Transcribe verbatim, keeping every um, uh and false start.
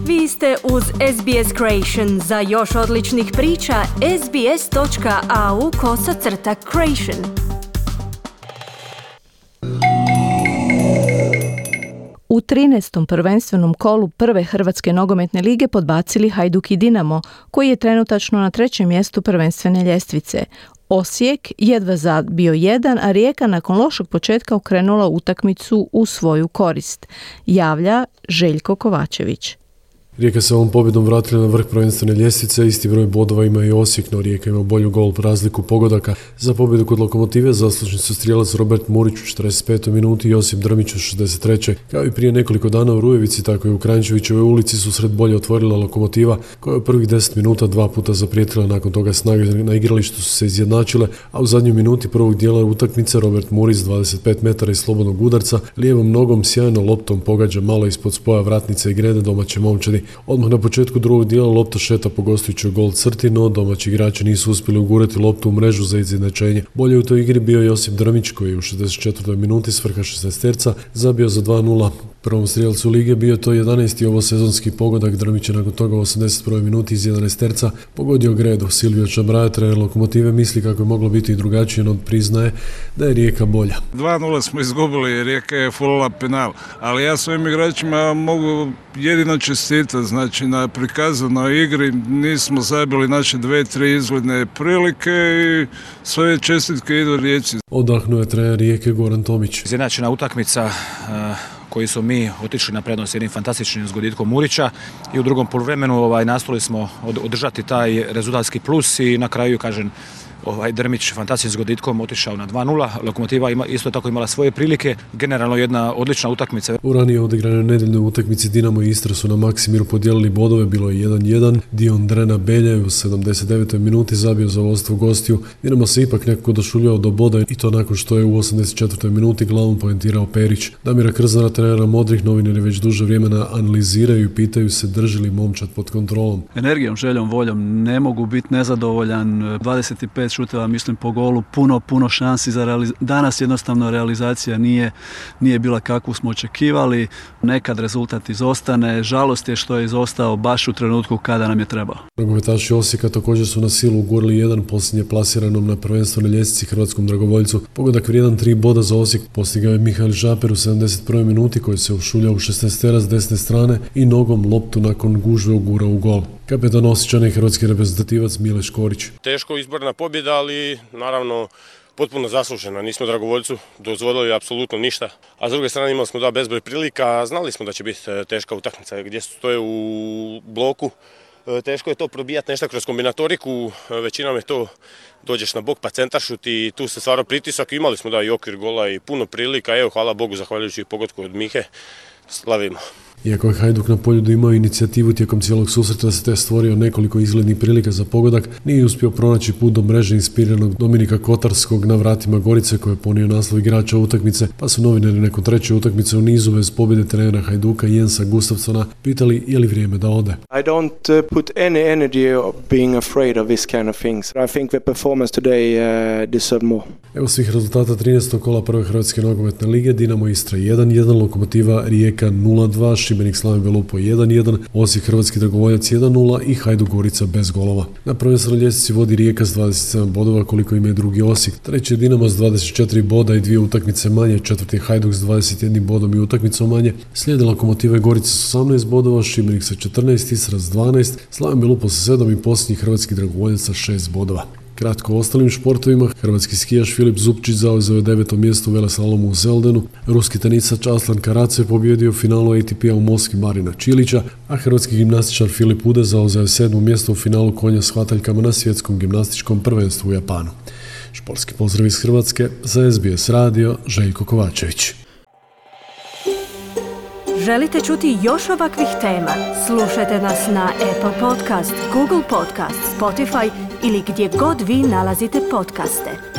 Vi ste uz S B S Creation. Za još odličnih priča, sbs.au kosacrta creation. U trinaestom prvenstvenom kolu prve Hrvatske nogometne lige podbacili Hajduk i Dinamo, koji je trenutačno na trećem mjestu prvenstvene ljestvice. Osijek jedva zabio jedan, a Rijeka nakon lošeg početka okrenula utakmicu u svoju korist. Javlja Željko Kovačević. Rijeka se ovom pobjedom vratila na vrh prvenstvene ljestvice, isti broj bodova ima i Osijek, no Rijeka ima bolju gol razliku pogodaka. Za pobjedu kod Lokomotive zaslužni su strijelac Robert Murić u četrdeset petoj minuti i Josip Drmić u šezdeset trećoj Kao i prije nekoliko dana u Rujevici, tako i u Kranjčevićevoj ulici su sred bolje otvorila Lokomotiva, koja je u prvih deset minuta dva puta zaprijetila, nakon toga snage na igralištu su se izjednačile, a u zadnjoj minuti prvog dijela utakmice Robert Murić s dvadeset pet metara iz slobodnog udarca lijevom nogom sjajno loptom pogađa malo ispod spoja vratnice i grede domaće momčadi. Odmah na početku drugog dijela lopta šeta po gostujućoj gol crti, no domaći igrači nisu uspjeli ugurati loptu u mrežu za izjednačenje. Bolje u toj igri bio Josip Drmić, koji je u šezdeset četvrtoj minuti s vrha šezdeseterca zabio za dva nula. Prvom strijelcu lige bio to jedanaesti ovo sezonski pogodak. Drmić je nakon toga u osamdeset prvoj minuti iz jedanaesterca pogodio gredu. Silvio Čabraja, trener Lokomotive, misli kako je moglo biti i drugačije, no priznaje da je Rijeka bolja. dva nula smo izgubili, Rijeka je fulala penal, ali ja svojim igračima mogu jedino čestitati, znači na prikazanoj igri nismo zabili naše dve, tri izgledne prilike i svoje čestitke idu Rijeci. Odahnuo je trener Rijeke Goran Tomić. Izjednačena utakmica koji su mi otišli na prednost jednim fantastičnim zgoditkom Murića i u drugom poluvremenu ovaj, nastojali smo održati taj rezultatski plus i na kraju, kažem, ovaj Drmić fantastičnim zgoditkom otišao na dva nula. Lokomotiva ima, isto tako imala svoje prilike. Generalno jedna odlična utakmica. U ranije odigranoj nedeljnoj utakmici Dinamo i Istra su na Maksimiru podijelili bodove, bilo je jedan jedan. Dion Drena Belje u sedamdeset devetoj minuti zabio za vodstvo gostiju. Dinamo se ipak nekako došuljao do boda i to nakon što je u osamdeset četvrtoj minuti glavom poentirao Perić. Damira Krznara, trenera modrih, novinari već duže vremena analiziraju i pitaju se drži li momčad pod kontrolom. Energijom, željom, voljom ne mogu biti nezadovoljan. dvadeset pet šuteva, mislim, po golu, puno, puno šansi za realizaciju. Danas jednostavno realizacija nije, nije bila kakvu smo očekivali. Nekad rezultat izostane. Žalost je što je izostao baš u trenutku kada nam je trebao. Nogometaši Osijeka također su na silu ugurali jedan posljednje plasiranom na prvenstvenoj ljestvici hrvatskom dragovoljcu. Pogodak vrijedan tri boda za Osijek postigao je Mihael Žaper u sedamdeset prvoj minuti, koji se ušuljao u šesnaestera s desne strane i nogom loptu nakon gužve ugura u gol. Kapetan Osječana i hrvatski reprezentativac Mile Škorić. Teško izborna pobjeda, ali naravno potpuno zaslužena. Nismo dragovoljcu dozvolili apsolutno ništa, a s druge strane imali smo da bezbroj prilika, znali smo da će biti teška utakmica gdje stoje u bloku. Teško je to probijati nešto kroz kombinatoriku, većinom je to dođeš na bok pa centaršut i tu se stvara pritisak. Imali smo da i okvir gola i puno prilika, evo hvala Bogu zahvaljujući pogodku od Mihe, slavimo. Iako je Hajduk na Poljudu imao inicijativu tijekom cijelog susreta da se te stvorio nekoliko izglednih prilika za pogodak, nije uspio pronaći put do mreže inspiriranog Dominika Kotarskog na vratima Gorice, koji je ponio naslov igrača utakmice, pa su novinari nakon treće utakmice u nizu bez pobjede trenera Hajduka Jensa Gustafsona pitali je li vrijeme da ode. I don't uh, put any energy of being afraid of this kind of things. I think the performance today uh, deserve more. Evo svih rezultata trinaestog kola prve Hrvatske nogometne lige. Dinamo Istra jedan jedan, Lokomotiva Rijeka nula dva, Šibenik Slaven Belupo jedan jedan, Osijek Hrvatski dragovoljac jedan nula i Hajduk Gorica bez golova. Na prvenstvenoj ljestvici vodi Rijeka s dvadeset sedam bodova, koliko ima i drugi Osijek. Treći je Dinamo s dvadeset četiri boda i dvije utakmice manje, četvrti je Hajduk s dvadeset jednim bodom i utakmicom manje. Slijede Lokomotiva i Gorica s osamnaest bodova, Šibenik sa četrnaest, Istra s dvanaest, Slaven Belupo sa sedam i posljednji Hrvatski dragovoljac sa šest bodova. Kratko o ostalim športovima, hrvatski skijaš Filip Zupčić zauzeo je deveto mjesto u veleslalomu u Zeldenu, ruski tenisač Aslan Karatsev pobjedio u finalu A T P-a u Moskvi Marina Čilića, a hrvatski gimnastičar Filip Ude zauzeo je sedmo mjesto u finalu konja s hvataljkama na svjetskom gimnastičkom prvenstvu u Japanu. Športski pozdrav iz Hrvatske, za S B S radio, Željko Kovačević. Želite čuti još ovakvih tema? Slušajte nas na Apple Podcast, Google Podcast, Spotify ili gdje god vi nalazite podcaste.